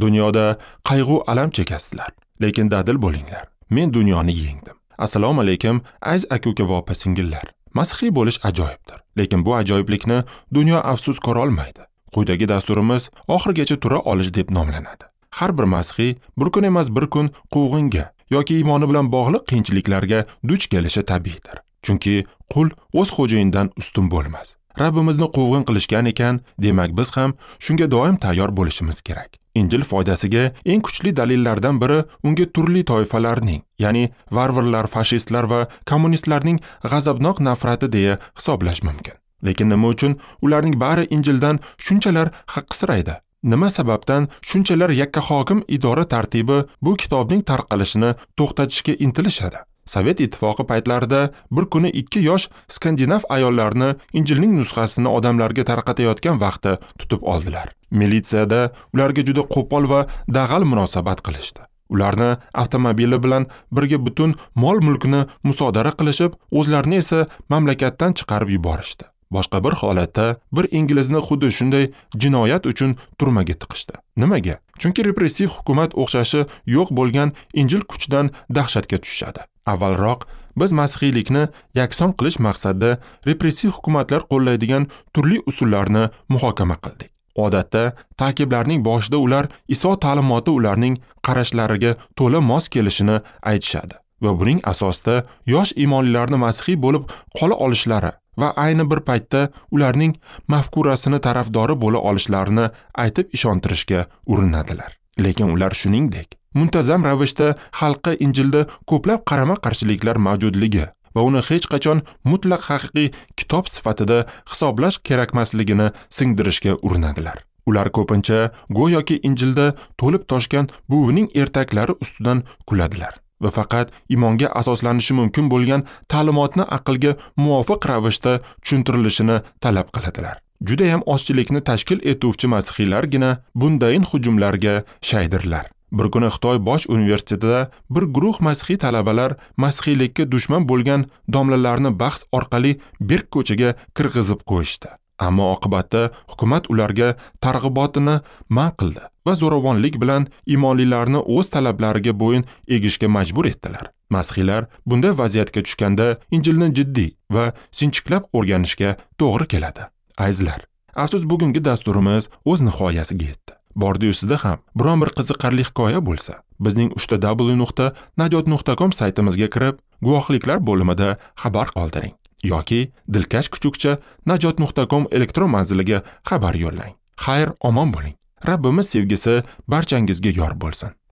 Dunyoda qayg'u alam chekasizlar, lekin dadil bo'linglar. Men dunyoni yengdim. Assalomu alaykum, aziz aka-uka va opa-singillar. Masihiy bo'lish ajoyibdir, lekin bu ajoyiblikni dunyo afsus ko'ra olmaydi. Quyidagi dasturimiz oxirigacha tura olish deb nomlanadi. Har bir masihiy bir kun emas bir kun quvg'inga yoki iymoni bilan bog'liq qiyinchiliklarga duch kelishi tabiiydir. Chunki qul o'z xo'jayinidan ustun bo'lmas. Rabbimizni quvg'in qilishgan ekan, demak biz ham shunga doim tayyor bo'lishimiz kerak. Injil foydasiga eng kuchli dalillardan biri unga turli toifalarning, ya'ni varvarlar, fashistlar va kommunistlarning g'azabnok nafrati deya hisoblash mumkin. Lekin nima uchun ularning bari Injildan shunchalar haqqisiraydi? Nima sababdan shunchalar yakka hokim idora tartibi bu kitobning tarqalishini to'xtatishga intilishadi? Sovet ittifoqi paytlarida bir kuni 2 yosh skandinav ayollarni Injilning nusxasini odamlarga tarqatayotgan vaqtda tutib oldilar. Militsiyada ularga juda qo'pol va dag'al munosabat qilishdi. Ularni avtomobili bilan birga butun mol-mulkni musodara qilishib, o'zlarini esa mamlakatdan chiqarib yuborishdi. Boshqa bir holatda bir inglizni xuddi shunday jinoyat uchun turmaga tiqishdi. Nimaga? Chunki repressiv hukumat o'xshashi yo'q bo'lgan Injil kuchidan dahshatga tushishadi. Avvalroq biz masihiylikni yakson qilish maqsadida repressiv hukumatlar qo'llaydigan turli usullarni muhokama qildik. Odatda ta'kiblarning boshida ular Iso ta'limoti ularning qarashlariga to'la mos kelishini aytishadi va buning asosida yosh iymonlilarni masihiy bo'lib qola olishlari va ayni bir paytda ularning mafkurasini tarafdori bo'la olishlarini aytib ishontirishga urinadilar. Lekin ular shuningdek muntazam ravishda xalqqa Injilda ko'plab qarama-qarshiliklar mavjudligi va uni hech qachon mutlaq haqiqiy kitob sifatida hisoblash kerakmasligini singdirishga urinadilar. Ular ko'pincha go'yoki Injilda to'lib toshgan buvining ertaklari ustidan kuladilar va faqat iymonga asoslanishi mumkin bo'lgan ta'limotni aqlga muvofiq ravishda tushuntirilishini talab qiladilar. Juda ham ozchilikni tashkil etuvchi masihiylargina bundayin hujumlarga shaydirlar. Bir kuni Xitoy bosh universitetida bir guruh masihiy talabalar masihiylikka dushman bo'lgan domlalarni bahs orqali berk ko'chaga kirgizib qo'yishdi. Ammo oqibatda hukumat ularga targ'ibotini man qildi va zo'ravonlik bilan iymonlilarni o'z talablariga bo'yin egishga majbur etdilar. Masihiylar bunday vaziyatga tushganda Injilni jiddiy va sinchiklab o'rganishga to'g'ri keladi. Azizlar, afsus bugungi dasturimiz o'z nihoyasiga yetdi. Bordi-yu sizda ham biron bir qiziqarli hikoya bo'lsa, bizning www.najot.com saytimizga kirib, guvohliklar bo'limida xabar qoldiring yoki dilkash kuchukcha najot.com elektron manziliga xabar yo'llang. Xayr, omon bo'ling. Rabbimiz sevgisi barchangizga yor bo'lsin.